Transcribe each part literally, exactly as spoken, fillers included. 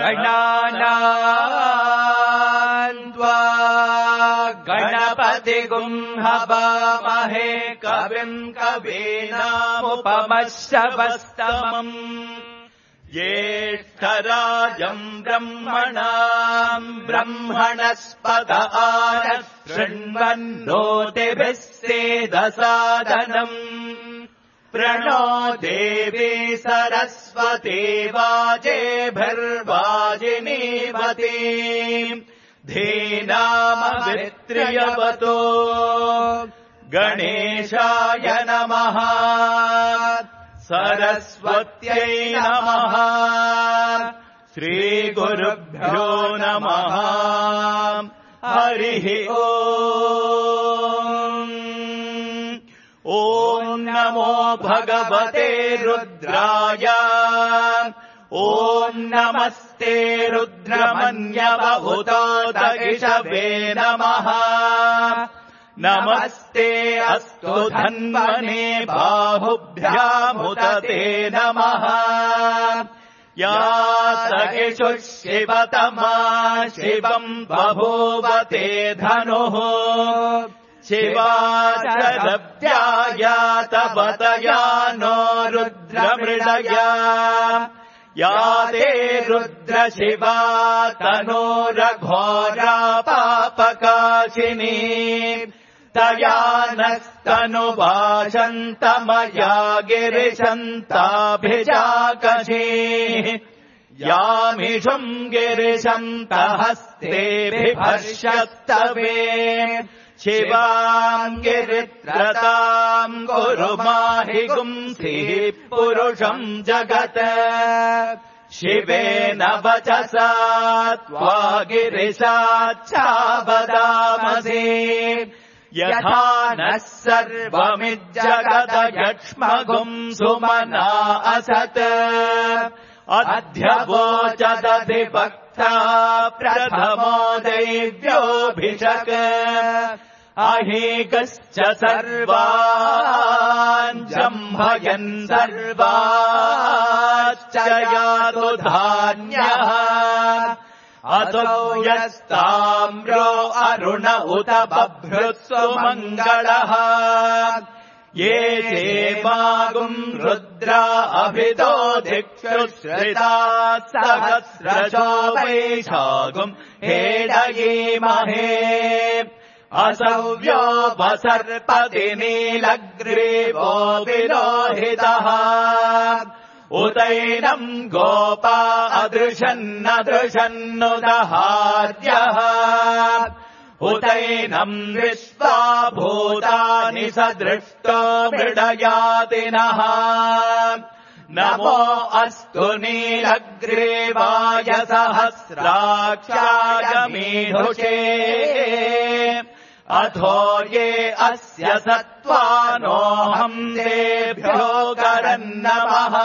गणानान् त्वा गणपतिगुं हवामहे कविम् कवीनामुपमश्रवस्तमम् ज्येष्ठराजम् ब्रह्मणाम् ब्रह्मणस्पत आनः शृण्वन्नोतिभिः सेदसादनम् प्रणो देवी सरस्वती वाजेभिर्वाजिनीवती धीनामवित्र्यवतो गणेशाय नमः सरस्वत्यै नमः श्रीगुरुभ्यो नमः हरिः ओम् ॐ नमो भगवते रुद्राय ॐ नमस्ते रुद्रमन्यवहुतोदगिषवे नमः नमस्ते अस्तु धन्वने बाहुभ्यामुदते नमः या सगिषुः शिवतमा शिवम् बभूवते धनुः शिवा शरव्यायातवतया नो रुद्रमृडया या ते रुद्रशिवा तनोरघोरा पापकाशिनी तया नस्तनुवाशन्तमया गिरिशन्ताभिजाकशी यामिषुम् गिरिशन्तहस्ते बिभर्षस्तवे शिवाम् गिरित्रताम् कुरु माहि गुंसिः पुरुषम् जगत् शिवेन वचसा त्वा गिरिशाच्छावदामसि यथा नः सर्वमिज्जगदयक्ष्मगुम् सुमना असत् अध्यवोचदधिवक्ता प्रथमो दैव्योऽभिषक् अहीकश्च सर्वान् जम्भयन् सर्वाश्च यातु धान्यः असौ यस्ताम्रो अरुण उत बभ्रुत्सु मङ्गलः ये चेमागुम् रुद्रा अभितो धिक्षुश्रिता सहस्रशो वैशागुम् हेडयेमहे असव्यो वसर्पति नीलग्रीवो विलोहितः उतैनम् गोपा अदृशन्नदृशन्नुदहार्यः उतैनम् विश्वा भूतानि सदृष्टो मृडयातिनः नमो अस्तु नीलग्रीवाय सहस्राक्षाय मीढुषे अथो ये अस्य सत्त्वानोऽहम् तेभ्यो करन्नमः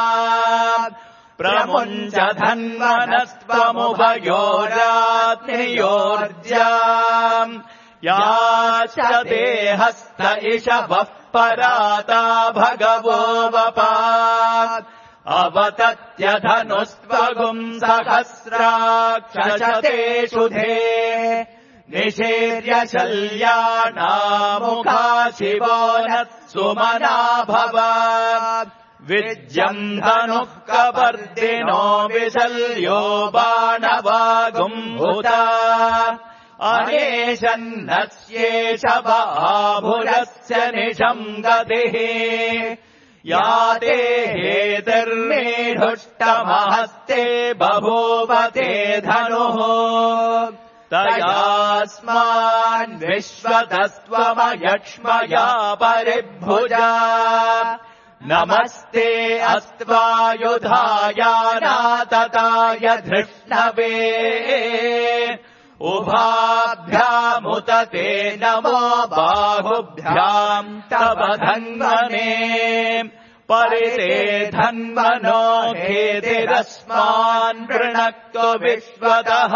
प्रमुञ्च धन्वनस्त्वमुभयोरात्मयोर्जाम् याश्च ते हस्त इषवः पराता भगवो वपा अवतत्यधनुस्त्वगुम् सहस्राक्षशतेषु धे निषेर्य शल्यानामुखा शिवो नः सुमना भव विज्यम् धनुः कपर्दिनो विशल्यो बाणवागुम्भुता अनेशन्नस्येष बाहुरस्य निशम् गतिः या ते हेतिर्मीढुष्टमहस्ते बभूवते धनुः तयास्मान् विश्वतस्त्वमयक्ष्मया परिभुजा नमस्ते अस्त्वायुधायानातताय धृष्णवे उभाभ्यामुत ते नमो बाहुभ्याम् तव धन्वने परिते धन्वनो हेतिरस्मान् वृणक्तु विश्वतः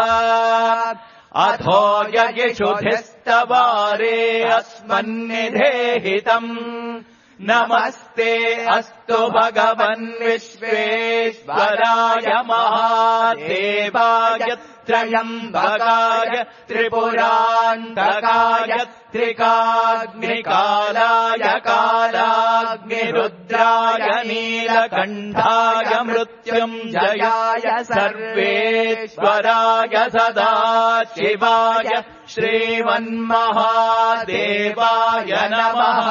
अथो ययिषुधिस्तवारे अस्मन्निधेहितम् नमस्ते अस्तु भगवन् विश्वेश्वराय महादेवाय त्रयम्बकाय त्रिपुरान्तकाय त्रिकाग्निकालाय कालाग्निरुद्राय नीलकण्ठाय मृत्युञ्जयाय सर्वेश्वराय सदाशिवाय श्रीमन्महादेवाय नमः।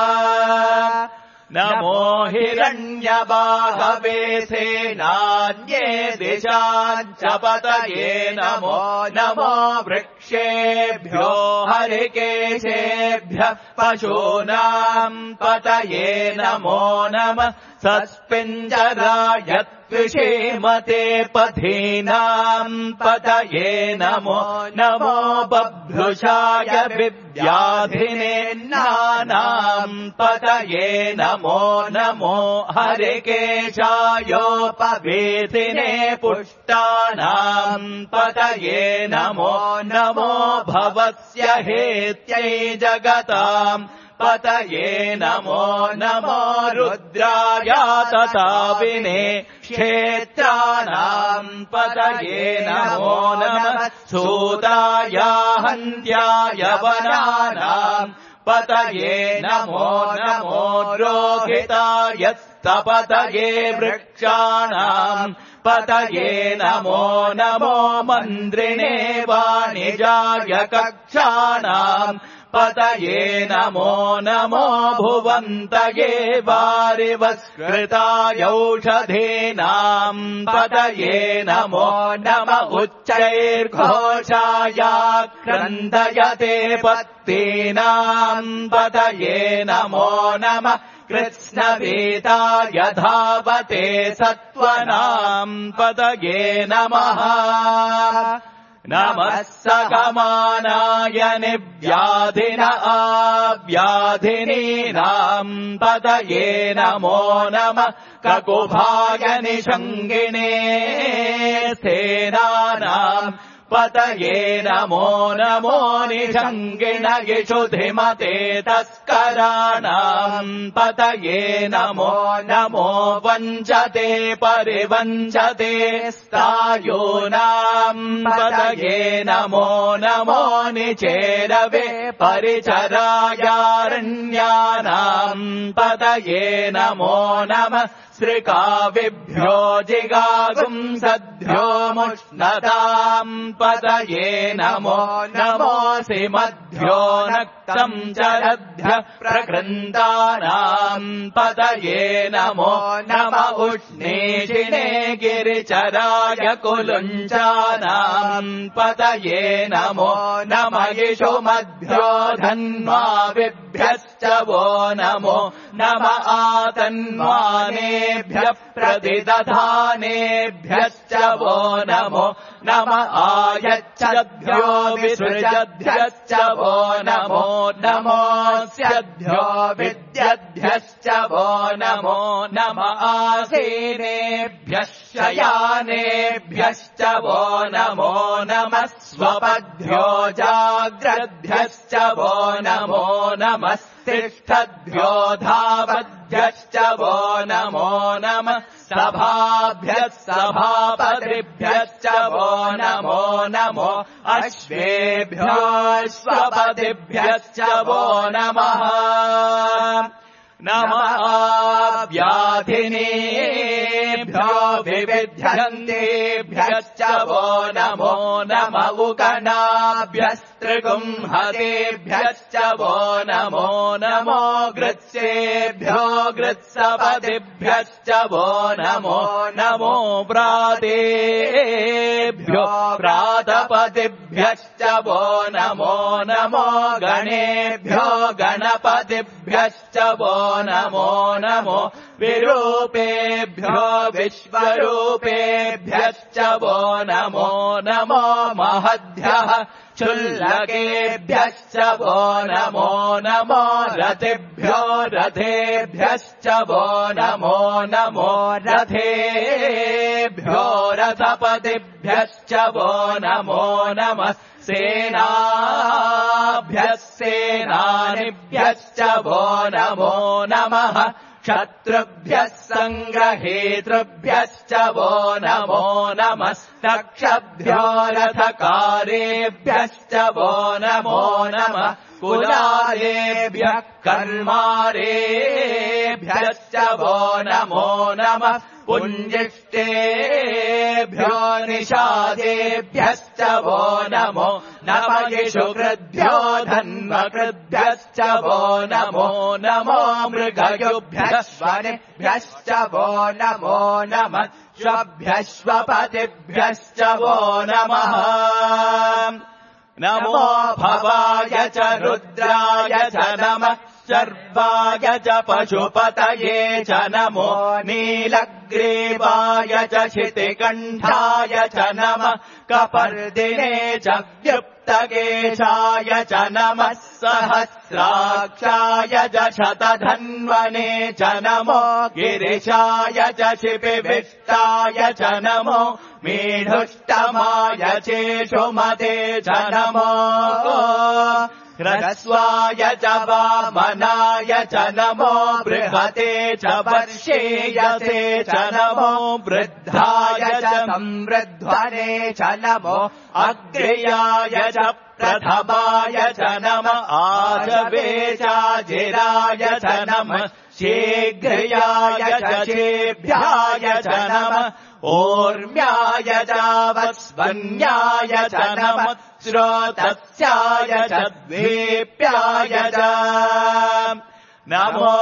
नमो हिरण्यबाहवे सेनान्ये दिशाञ्च पतये नमो नमो वृक्षेभ्यो हरिकेशेभ्यः पशूनाम् पतये नमो नमः। सस्पिञ्जराय त्विषेमते पथीनाम् पतये नमो नमो बभ्रुषाय विव्याधिने नानाम् पतये नमो नमो हरिकेशायोपवेतिने पुष्टानाम् पतये नमो नमो भवस्य हेत्यै जगताम् पतये नमो नमो रुद्राय तथाविने क्षेत्राणाम् पतये नमो नमः। सूताय हन्त्याय वनानाम् पतये नमो नमो रोहिताय स्तपतये वृक्षाणाम् पतये नमो नमो मन्द्रिणे वाणिजाय कक्षाणाम् पतये नमो नमो भुवन्तये वारिवस्कृताय औषधीनाम् पतये नमो नम उच्चैर्घोषाय क्रन्दयते पत्तीनाम् पतये नमो नमः। कृत्स्नवेदाय धावते सत्त्वनाम् पतये नमः। नमः सगमानाय निव्याधिन आव्याधिनीनाम् पतये नमो नमः। ककुभाय निषङ्गिणे सेनानाम् पतये नमो नमो निषङ्गिण यशुधिमते तस्कराणाम् पतये नमो नमो वञ्चते परिवञ्चते स्थायूनाम् पतये नमो नमो निचेरवे परिचरायारण्यानाम् पतये नमो नमः। श्रिकाविभ्यो जिगागुंसद्भ्यो मुष्णताम् पतये नमो नमोऽसि मध्यो नक्तम् चरद्भ्यः प्रकृन्तानाम् पतये नमो नम उष्णीषिणे गिरिचराय कुलुञ्चानाम् पतये नमो नम यिषुमध्यो धन्वाविभ्यश्च वो नमो नम आतन्वानेभ्यः प्रतिदधानेभ्यश्च वो नमो नम आयच्छद्भ्यो विसृजद्भ्यश्च वो नमो नमोऽस्यद्भ्यो विद्यद्भ्यश्च वो नमो नम आसीनेभ्यः शयानेभ्यश्च वो नमो नमः। स्वपद्भ्यो जाग्रद्भ्यश्च वो नमो नमः। तिष्ठद्भ्यो धावद्भ्यश्च वो नमो नमः। सभाभ्यः सभापतिभ्यश्च वो नमो नमो। अश्वेभ्यो अश्वपतिभ्यश्च वो नमः। नमः व्याधिनेभ्यो विविध्यन्तेभ्यश्च वो नमो नम उकनाभ्यस्त्रिगुंहतेभ्यश्च वो नमो नमो। गृत्सेभ्यो गृत्सपतिभ्यश्च वो नमो नमो। प्रातेभ्यो प्रातपतिभ्यश्च वो नमो नमो। गणेभ्यो गणपतिभ्यश्च वो नमो नमो। विरूपेभ्यो विश्वरूपेभ्यश्च वो नमो नमो। महद्भ्यः क्षुल्लकेभ्यश्च वो नमो नमो। रथेभ्यो रथेभ्यश्च वो नमो नमो। रथेभ्यो क्षत्रुभ्यो रथपतिभ्यश्च वो नमो नमः सेनाभ्यः सेनानिभ्यश्च वो नमो नमः क्षत्रुभ्यः सङ्ग्रहेतृभ्यश्च वो नमो नमस्तक्षभ्यो रथकारेभ्यश्च वो नमो नमः कुलालेभ्यः कर्मारेभ्यश्च वो नमो नमः पुञ्जिष्टेभ्यो निषादेभ्यश्च वो नमो नमः इषुकृद्भ्यो धन्वकृद्भ्यश्च वो नमो नमो मृगयुभ्यश्वनेभ्यश्च वो नमो नमः श्वभ्यश्वपतिभ्यश्च वो नमः नमो भवाय च रुद्राय च नमः सर्वाय च पशुपतये च नमो नीलग्रीवाय च शितिकण्ठाय च नमः कपर्दिने च व्युप्तकेशाय च नमः सहस्राक्षाय च शतधन्वने च नमो गिरिशाय च शिपिविष्टाय च नमो मीढुष्टमाय चेषुमते च नमो ह्रस्वाय च वामनाय च नमो बृहते च वर्षेयसे च नमो वृद्धाय च संवृध्वने च नमो अग्र्याय च प्रथमाय च नमः आजवे चाजिराय च नमः शीघ्रयाय च शेभ्याय च नमः ओर्म्याय चावस्वन्याय च नमः श्रोतस्याय च द्वीप्याय च नमो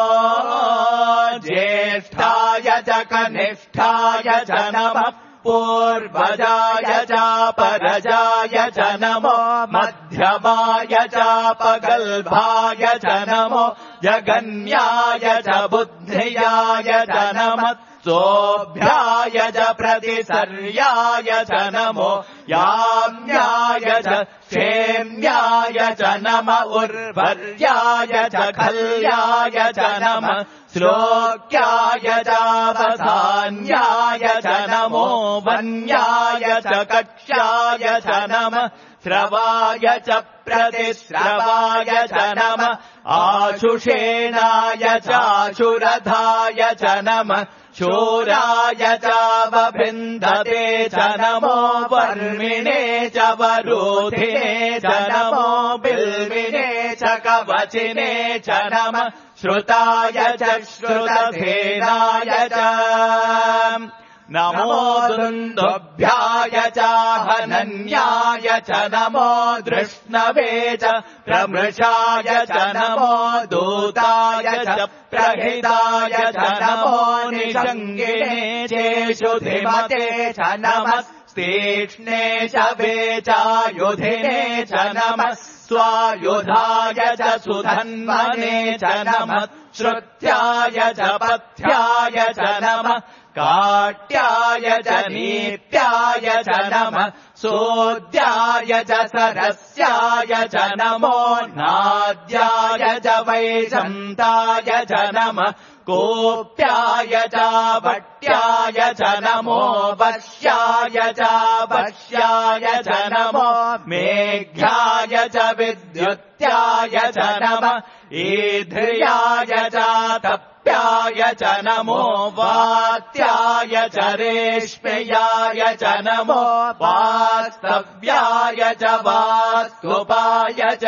ज्येष्ठाय च कनिष्ठाय च नमः पूर्वजाय चापरजाय च नमो मध्यमाय चापगल्भाय च नमो जगन्याय च बुद्धियाय च नमः सोऽभ्याय च प्रतिसर्याय च नमो याम्याय च क्षेम्याय च नम उर्वर्याय च खल्याय च नमः श्लोक्याय चावधान्याय च नमो वन्याय च कक्ष्याय च नमः श्रवाय च प्रतिश्रवाय च नमः आशुषेणाय चाशुरधाय च नमः शूराय चावभिन्दते च नमो वर्मिणे च वरूधिने च नमो बिल्विने च कवचिने च नमः श्रुताय च श्रुतधेनाय च नमो दुन्दुभ्याय चाहनन्याय च नमो धृष्णवे च प्रमृषाय च नमो दूताय च प्रहिताय च नमो निषङ्गिने चेषुधिमते च नमः तीक्ष्णे च वेचायुधिने च नमः स्वायुधाय च सुधन्वने च नमः श्रुत्याय च पथ्याय च नमः काट्याय च नीत्याय च नमः सोद्याय च सरस्याय च नमो नाद्याय च वैजन्ताय च नमः कोप्याय च वट्याय च नमो वश्याय च वश्याय च नमो मेघ्याय च विद्युत्याय च नमः ईध्र्याय च तप्याय च नमो वात्याय च रेष्म्याय च नमो वास्तव्याय च वास्तुपाय च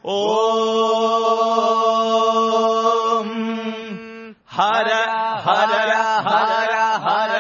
ॐ हर हर हर हर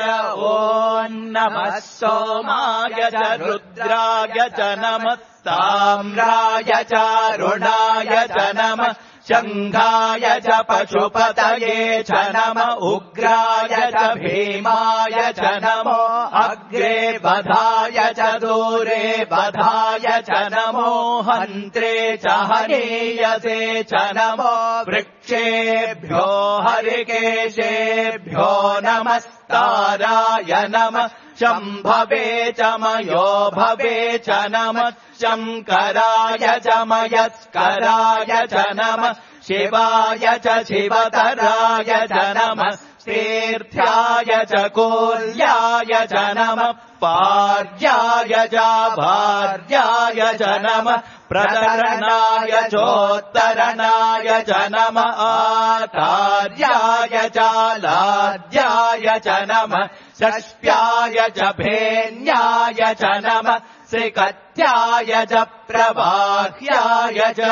ॐ नमः सोमाय च रुद्राय च नमः ताम्राय च रुणाय च नमः शङ्खाय च पशुपतये च नमः उग्राय च भीमाय च नमो अग्रे बधाय च दूरे बधाय च नमो हन्त्रे च हनीयसे च नमो वृक्षेभ्यो हरिकेशेभ्यो नमस्ताराय नमः शम्भवे च मयो भवे च नमः शङ्कराय च मयस्कराय च नमः शिवाय च शिवतराय च नमः तीर्थ्याय च कोल्याय च नमः पार्याय च भार्याय च नमः प्रतरणाय चोत्तरणाय च नमः आचार्याय च लाद्याय च नमः षष्ट्याय च भेन्याय च नमः श्रीकत्याय च प्रबाह्याय च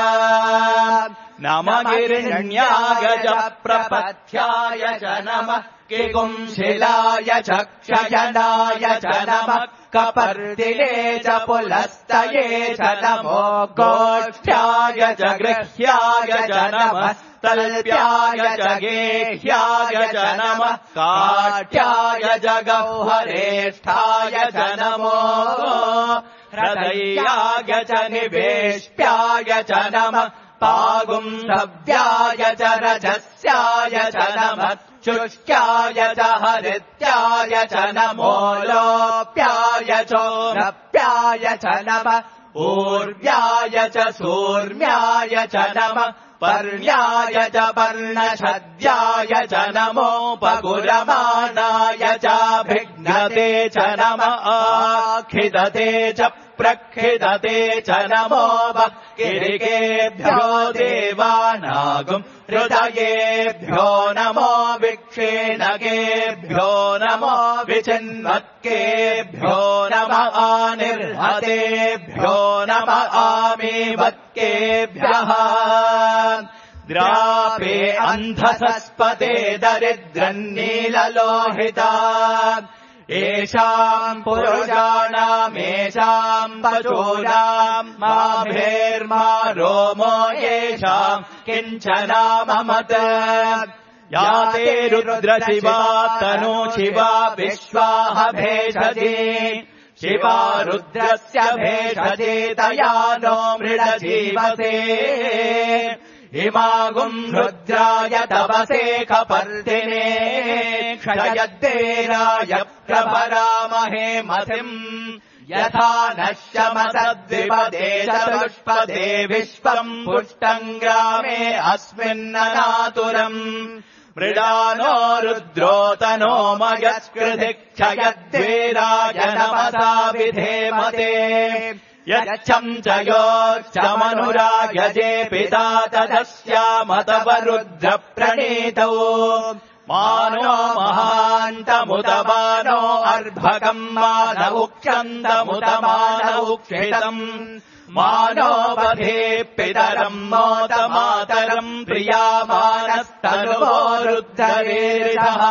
नमः गिरिण्याय च प्रपथ्याय च नमः किगुंशिलाय च क्षयनाय च नमः कपर्दिने च पुलस्तये च नमो गोष्ठ्याय च गृह्याय च नमः तल्प्याय च गेह्याय च नमः काट्याय च गौहरेष्ठाय च नमो हृदयाय च निवेष्ट्याय च नमः पागुंसव्याय च रजस्याय च नमः शुष्क्याय च हरित्याय च नमो लोप्याय चोरप्याय च नमः ऊर्व्याय च सूर्म्याय च नमः पर्ण्याय च पर्णछद्याय च नमोपगुरमाणाय च भिघ्नते च नमः आखिदते च प्रखिदते च नमो किरिकेभ्यो देवानागुम् हृदयेभ्यो नमो विक्षेणकेभ्यो नमो विचिन्वत्केभ्यो नमः आनिर्हतेभ्यो नमः आमीवत्केभ्यः द्रापे अन्धसस्पते दरिद्रन्नीललोहिता येषाम् पुरुषाणामेषाम् पशूनाम् माभेर्मा रोमो येषाम् किञ्चनाममत याते रुद्रशिवा तनु शिवा विश्वाह भेषजे शिवा रुद्रस्य भेषजे तया नो मृडजीवसे इमागुम् रुद्राय तपसे कपर्दिने क्षयद्देराय प्रभरामहे मतिम् यथा नश्यमसद्विपदे चतुष्पदे विश्वम् पुष्टम् ग्रामे अस्मिन्ननातुरम् मृडानो रुद्रो तनो मयस्कृधि क्षयद्वेराय नमसा विधेमते यच्छम् च योच्चमनुरायजे पिता तदस्यामतवरुद्रप्रणीतौ मानो महान्तमुत मानो अर्भकम् मानौक्षन्तमुत मानौक्षितम् मानोपधे पितरम् मोत मातरम् प्रियामानस्तनुवो रुद्धरेरिषः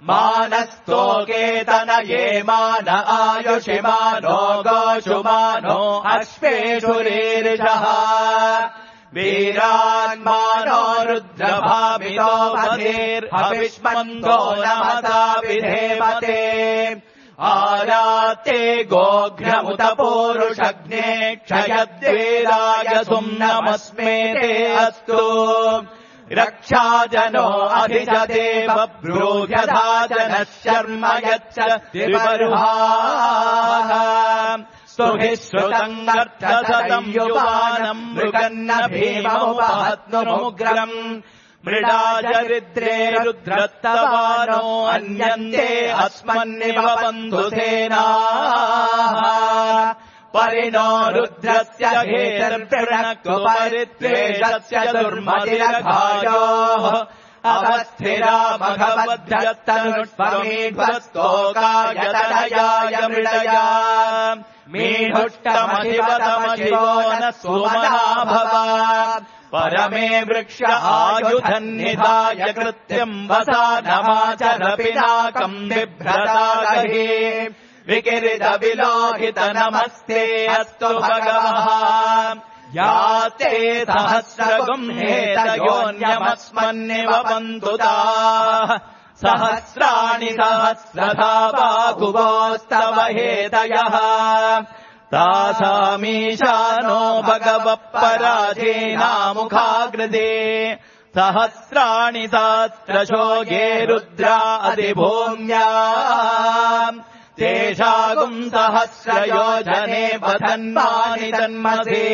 मानस्तोकेतनये मान आयुषि मानो गोषु मानो अश्वेषुरेरिषः वीरान्मानो रुद्रभामितो पधेर्हविष्मन्दो नमसा विधेमते आराते गोघ्रमुत पूरुषग्ने क्षयद्वेराय सुम्नमस्मे ते अस्तु रक्षाजनो अधिजते बभ्रूजधा जनः शर्म यच्च विबर्हाः स्तुभिः श्रुतम् अर्थसतम् युवानम् मृगन्न भीममुपहत्नुमुग्रम् मृडा चरित्रे रुद्रत्तवानो अन्यन्ते अस्मन्निव बन्धुसेनाः परिणो रुद्रस्य हेतर्प्रणक्तु परित्वेषस्य दुर्मतिरघायोः अवस्थिरा भगवद्भक्तनुष्पमेध्वस्तोकाय मृडया मीढुष्टमधिवतमशिवो न सुमना भव परमे वृक्ष आयुधन्निधाय कृत्यम् वसा नमाचर पिनाकम् बिभ्रतागहे विकिरितविलोहित नमस्ते अस्तु भगवः याते सहस्रगुम् हेतयोन्यमस्मन्निव बन्धुताः सहस्राणि सहस्रधा बाहुवोस्तव हेतयः तासामीशानो भगवः पराधीनामुखाग्रदे सहस्राणि सहस्रशो ये रुद्रा अधिभूम्या तेषागुम् सहस्रयोजने वधन्मानि जन्मसे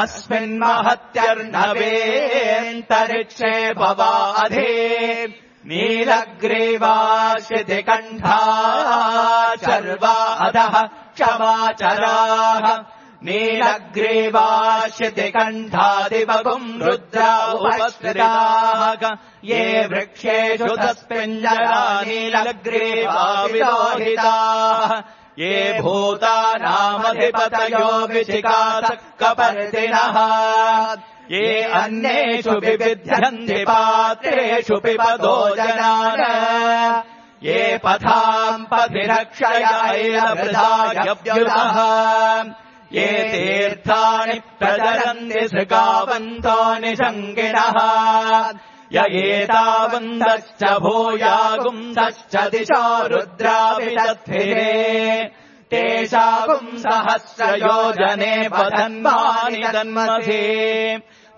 अस्मिन्महत्यर्णवेऽन्तरिक्षे भवाधे नीलग्रीवाश्रितिकण्ठा चर्वा अधः क्षमाचराः नीलग्रीवाश्रितिकण्ठादिवगुम् रुद्रा उपश्रिताः ये वृक्षेषु तस्मिञ्जरा नीलग्रीवा विलोहिताः ये भूतानामधिपतयो विचिकासक्कपर्दिनः ये अन्येषु विविध्यन्ति पात्रेषु पिबतो जनान् ये पथाम् पथिरक्षयैरवृधायव्युतः ये तीर्थानि प्रचरन्ति सृगावन्तो निषङ्गिणः य एतावन्तश्च भूयागुंसश्च दिशो रुद्राविदध्विरे तेषागुम् सहस्रयोजने पतन्वानि तन्मसि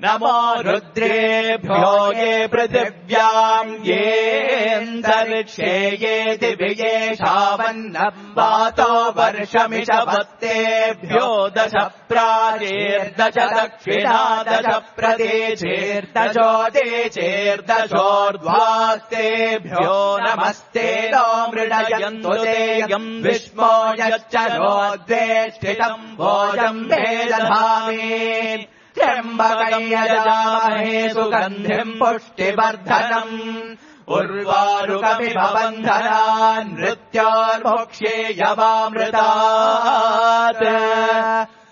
नमो रुद्रेभ्यो ये पृथिव्याम् येऽन्तरिक्षे ये दिव्येषावन्नम् वातो वर्षमिषवत्तेभ्यो दश प्राचेर्दश दक्षिणा दश प्रदेशेर्दशोदेशेर्दशोर्ध्वास्तेभ्यो नमस्ते नो मृडयन्तु तेयम् विष्मो यच्च नोद्वेष्टितम् भोजम् भेदधामि त्र्यम्बकम् यजामहे सुगन्धिम् पुष्टिवर्धनम् उर्वारुकमिभबन्धनान् मृत्योर्मोक्ष्येयवामृतात्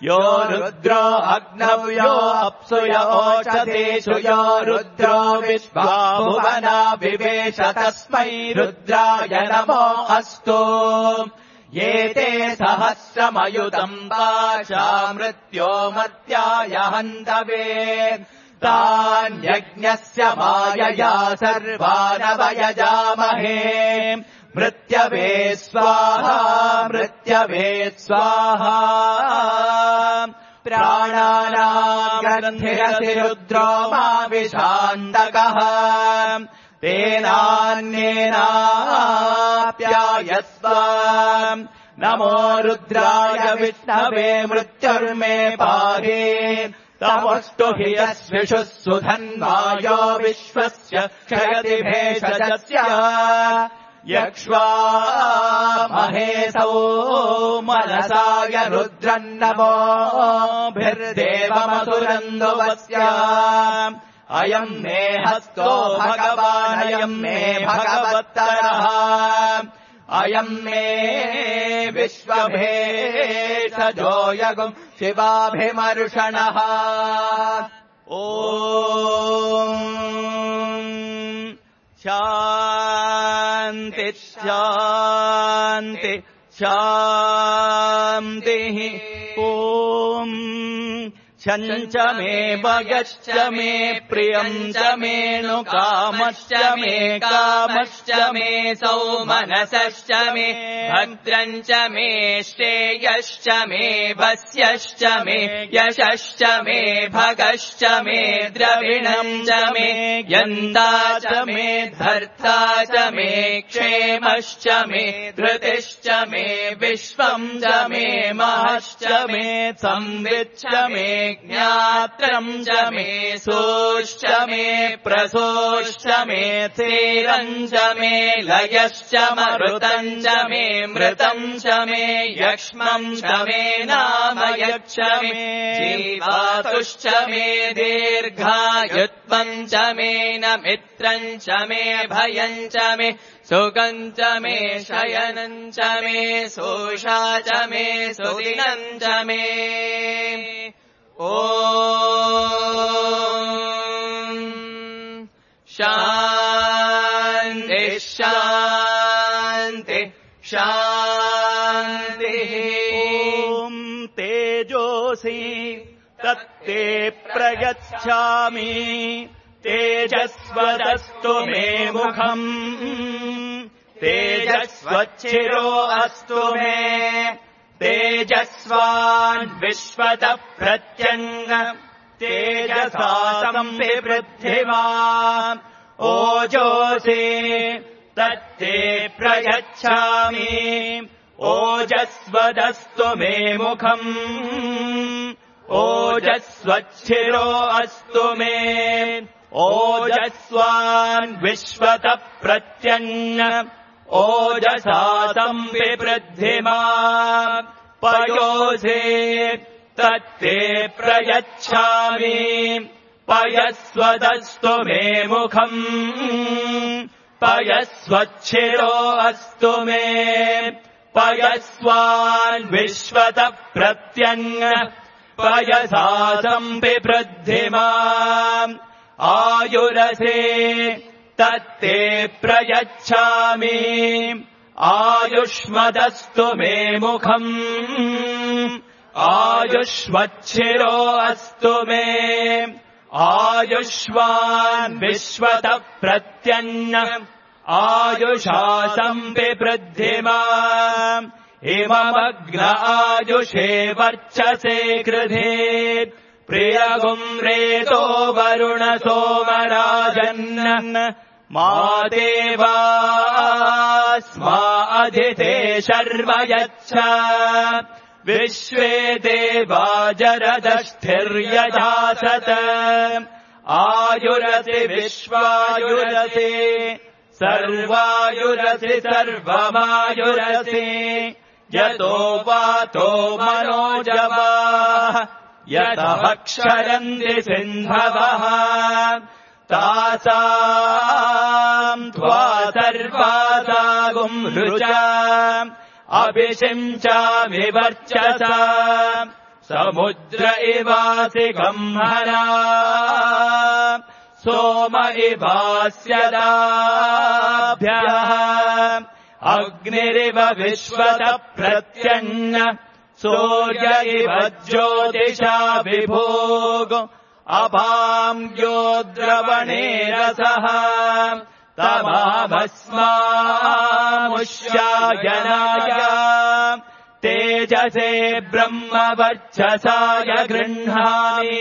यो रुद्रो अग्नौ यो अप्सु य ओषधीषु यो रुद्रो विश्वा भुवना विवेश तस्मै रुद्राय नमो अस्तु ये ते सहस्रमयुतम् वाचा मृत्यो मर्त्याय हन्तवे तान्यज्ञस्य मायया सर्वानवयजामहे मृत्यवे स्वाहा मृत्यवे स्वाहा प्राणानाम् ग्रन्थिरसि रुद्रो मा विशान्तकः तेनान्येनाप्यायस्व नमो रुद्राय विष्णवे मृत्युर्मे पाहि तमस्तु हि यस्विषुः सुधन्वायो विश्वस्य क्षयति भेषजस्य यक्ष्वा महेशौ मनसाय रुद्रन्नमोभिर्देवमसुरन्दुवस्य अयम् मे हस्तो भगवानयम् मे भगवत्तरः अयम् मे विश्वभेषजो यगुम् शिवाभिमर्षणः ॐ शान्ति शान्ति शान्तिः ॐ छञ्च मे भगश्च मे प्रियम् च मे नु कामश्च मे कामश्च मे सौमनसश्च मे भद्रम् च मे श्रेयश्च मे वस्यश्च मे यशश्च मे भगश्च मे द्रविणम् च मे यन्ता च मे धर्ता च मे क्षेमश्च मे धृतिश्च मे विश्वम् च मे महश्च मे संविच्च मे ज्ञात्रम् च मे सोश्च मे प्रसोश्च मे थेरम् च मे लयश्च मरुतम् च मे मृतम् च मे यक्ष्मम् च मे नामयच्च मे जीवातुश्च मे दीर्घायुत्वम् च मे न मित्रम् च मे भयम् च मे सुखम् च मे शयनम् च मे सोषा च मे सुदिनम् च मे ॐ शान्ति शान्ति शान्तिः ॐ तेजोसि तत्ते प्रयच्छामि तेजस्वदस्तु मे मुखम् तेजस्वच्छिरो अस्तु मे तेजस्वान् विश्वतः प्रत्यङ्ग तेजसा संविवृद्धिमान् ओजोषि तत्ते प्रयच्छामि ओजस्वदस्तु मे मुखम् ओजस्वच्छिरो अस्तु मे ओजस्वान् विश्वतः प्रत्यन्न ओजसा संविवृद्धिमा पयोधे तत्ते प्रयच्छामि पयस्वदस्तु मे मुखम् पयस्वच्छिरो अस्तु मे पयस्वान् विश्वतः प्रत्यन्न पयसा संविवृद्धिमा आयुरसे तत्ते प्रयच्छामि आयुष्मदस्तु मे मुखम् आयुष्वच्छिरो अस्तु मे आयुष्वान् विश्वतः प्रत्यन्न आयुषा संविवृद्धिमा इममग्न आयुषे वर्चसे कृधे प्रियगुम्रेतो वरुण सोमराजन् मा देवास्मा अधिते शर्म यच्छ विश्वे देवा जरदष्ठिर्यजासत आयुरसि विश्वायुरसि सर्वायुरसि सर्वमायुरसि यतो वातो मनोजवाः यतः क्षरन्ति सिन्धवः तासाम् त्वा सर्वासागुम् ऋचा अभिषिञ्चामि वर्चसा समुद्र इवासि गह्मना सोम इवास्यदाभ्यः अग्निरिव विश्वतः प्रत्यन्न सूर्य इव ज्योतिषा विभोग अभाम्यो द्रवणे रसः तमाभस्मामुष्यायनाय तेजसे ब्रह्मवर्चसाय गृह्णामि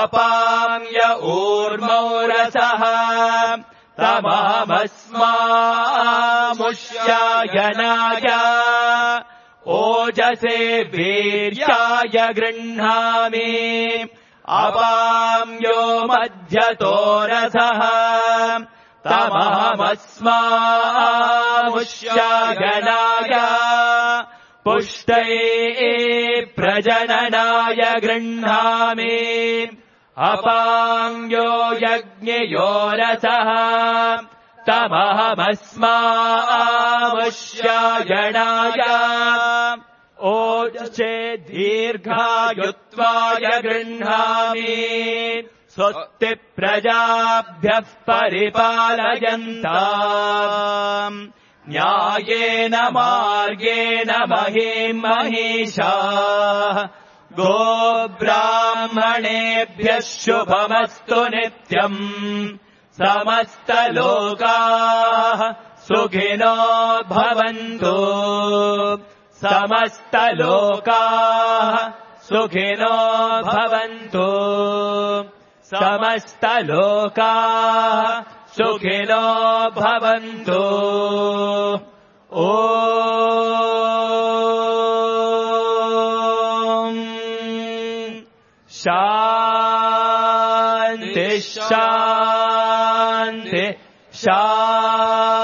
अपाम्य ऊर्मौ रसः तमाभस्मामुष्यायनाय ओजसे वीर्याय गृह्णामि अपाम्यो मध्यतो रसः तमहमस्मामुष्यागनाय पुष्टये प्रजननाय गृह्णामि अपाम्यो यज्ञयो रसः तमहमस्मामुष्यागनाय ओजसे दीर्घायुत्वाय गृह्णामि स्वस्ति प्रजाभ्यः परिपालयन्ताम् न्यायेन मार्गेण महीम् महिषाः गोब्राह्मणेभ्यः शुभमस्तु नित्यम् समस्तलोकाः सुखिनो भवन्तु समस्तलोकाः सुखिनो भवन्तु समस्तलोकाः सुखिनो भवन्तु ॐ शान्ति शान्ति शान्ति